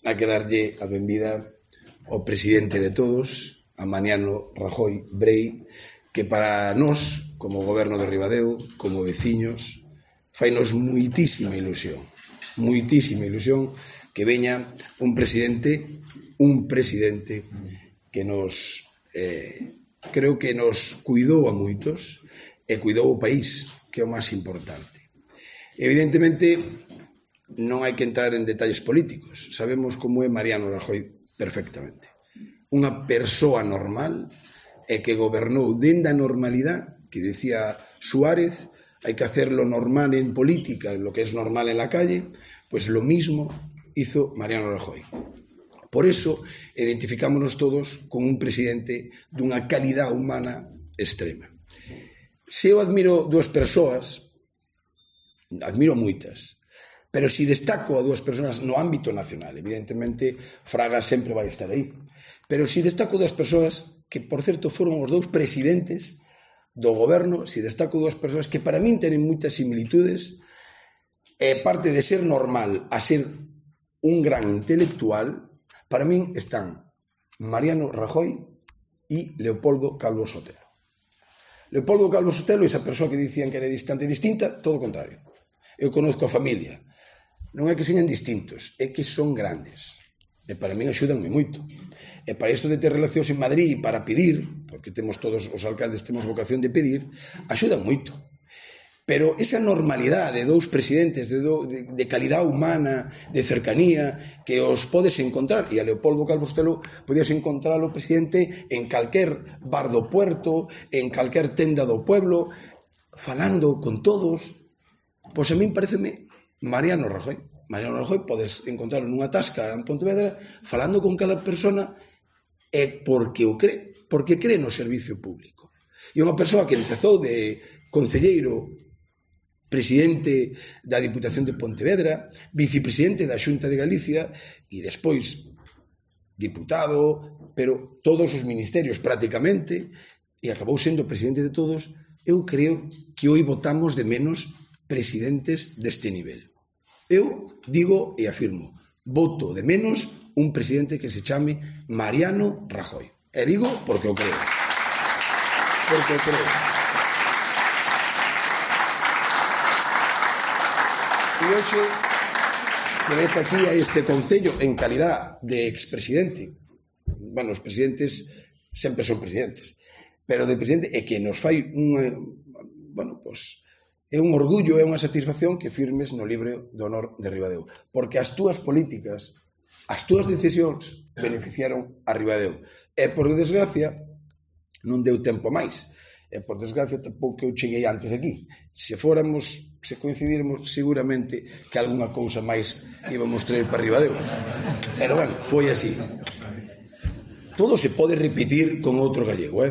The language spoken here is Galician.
hai que darlle a benvida ao presidente de todos, a Mariano Rajoy Brei, que para nós, como goberno de Ribadeo, como veciños, fainos moitísima ilusión que veña un presidente que nos, creo que nos cuidou a moitos e cuidou o país, que é o máis importante. Evidentemente, non hai que entrar en detalles políticos. Sabemos como é Mariano Rajoy perfectamente. Unha persoa normal e que gobernou dende a normalidade, que decía Suárez, hai que hacer lo normal en política, lo que es normal en la calle, pues lo mismo hizo Mariano Rajoy. Por eso identificámonos todos con un presidente dunha calidad humana extrema. Se eu admiro dúas persoas, admiro moitas, pero se destaco a dúas persoas no ámbito nacional, evidentemente Fraga sempre vai estar aí, pero se destaco dúas persoas que, por certo, foron os dous presidentes do goberno, se destaco dúas persoas que para min tenen moitas similitudes, e parte de ser normal a ser un gran intelectual, para min están Mariano Rajoy e Leopoldo Calvo Sotelo. Leopoldo Calvo Sotelo, esa persoa que dicían que era distante e distinta, todo o contrario. Eu conozco a familia. Non é que sean distintos, é que son grandes. E para min axúdanme moito. E para isto de ter relacións en Madrid para pedir, porque temos todos os alcaldes, temos vocación de pedir, axudan moito. Pero esa normalidade de dous presidentes de calidad humana, de cercanía, que os podes encontrar, e a Leopoldo Calvo Sotelo podías encontrar o presidente en calquer bar do puerto, en calquer tenda do pueblo, falando con todos. Pois a min pareceme Mariano Rajoy. Mariano Rajoy podes encontrarlo nunha tasca en Pontevedra falando con cada persona e porque o cree, porque cree no servicio público. E unha persoa que empezou de concelleiro, presidente da Diputación de Pontevedra, vicepresidente da Xunta de Galicia e despois diputado, pero todos os ministerios prácticamente, e acabou sendo presidente de todos. Eu creo que hoy votamos de menos presidentes deste nivel. Eu digo e afirmo, voto de menos un presidente que se chame Mariano Rajoy. E digo porque o creo. Porque o creo. E hoxe, que ves aquí a este concello en calidad de expresidente, bueno, os presidentes sempre son presidentes, pero de presidente, e que nos fai bueno, pois, é un orgullo, é unha satisfacción que firmes no libro de honor de Ribadeo, porque as túas políticas, as túas decisións beneficiaron a Ribadeo, e por desgracia non deu tempo máis, e por desgracia tampouco eu cheguei antes aquí. Se coincidíramos, seguramente que algunha cousa máis íbamos traer para Ribadeo, pero bueno, foi así. Todo se pode repetir con outro gallego,